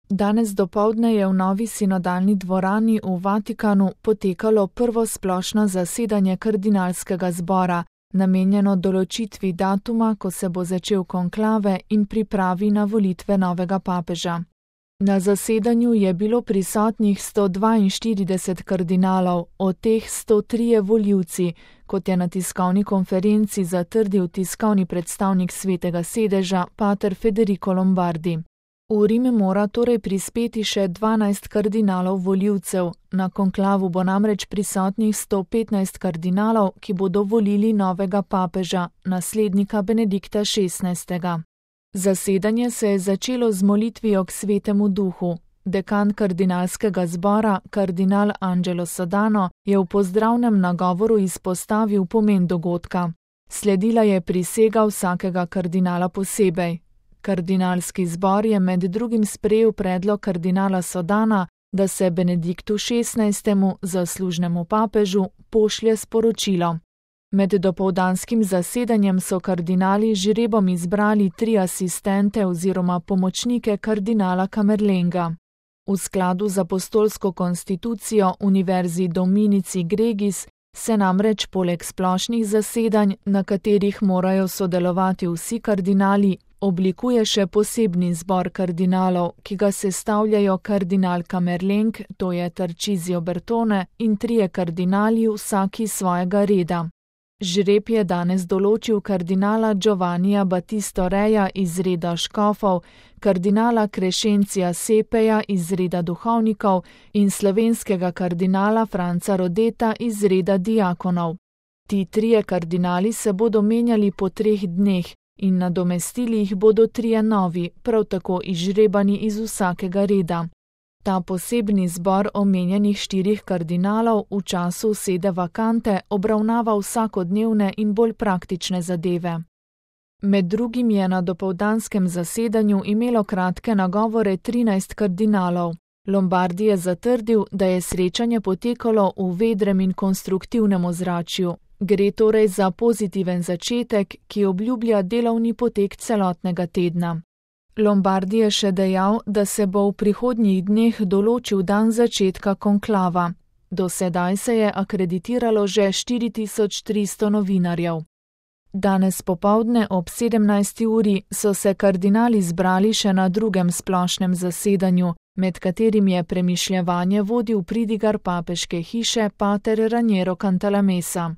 Danes dopoldne je v novi sinodalni dvorani v Vatikanu potekalo prvo splošno zasedanje kardinalskega zbora, namenjeno določitvi datuma, ko se bo začel konklave in pripravi na volitve novega papeža. Na zasedanju je bilo prisotnih 142 kardinalov, od teh 103 volivci, kot je na tiskovni konferenci zatrdil tiskovni predstavnik Svetega sedeža, pater Federico Lombardi. V Rim mora torej prispeti še 12 kardinalov volivcev, na konklavu bo namreč prisotnih 115 kardinalov, ki bodo volili novega papeža, naslednika Benedikta XVI. Zasedanje se je začelo z molitvijo k Svetemu duhu. Dekan kardinalskega zbora, kardinal Angelo Sodano, je v pozdravnem nagovoru izpostavil pomen dogodka. Sledila je prisega vsakega kardinala posebej. Kardinalski zbor je med drugim sprejel predlog kardinala Sodana, da se Benediktu XVI. Zaslužnemu papežu pošlje sporočilo. Med dopoldanskim zasedanjem so kardinali z žrebom izbrali 3 asistente oziroma pomočnike kardinala Camerlenga. V skladu z apostolsko konstitucijo Univerzi Dominici Gregis se namreč poleg splošnih zasedanj, na katerih morajo sodelovati vsi kardinali, oblikuje še posebni zbor kardinalov, ki ga sestavljajo kardinal Camerleng, to je Tarcisio Bertone, in 3 kardinali vsaki svojega reda. Žreb je danes določil kardinala Giovannija Battisto Reja iz reda škofov, kardinala Crescencija Sepeja iz reda duhovnikov in slovenskega kardinala Franca Rodeta iz reda diakonov. Ti 3 kardinali se bodo menjali po 3 dneh in nadomestili jih bodo 3 novi, prav tako izžrebani iz vsakega reda. Ta posebni zbor omenjenih 4 kardinalov v času sede vakante obravnava vsakodnevne in bolj praktične zadeve. Med drugim je na dopoldanskem zasedanju imelo kratke nagovore 13 kardinalov. Lombardi je zatrdil, da je srečanje potekalo v vedrem in konstruktivnem ozračju. Gre torej za pozitiven začetek, ki obljublja delovni potek celotnega tedna. Lombardi je še dejal, da se bo v prihodnjih dneh določil dan začetka konklava. Do sedaj se je akreditiralo že 4300 novinarjev. Danes popoldne ob 17. uri so se kardinali zbrali še na drugem splošnem zasedanju, med katerim je premišljevanje vodil pridigar papeške hiše pater Raniero Cantalamessa.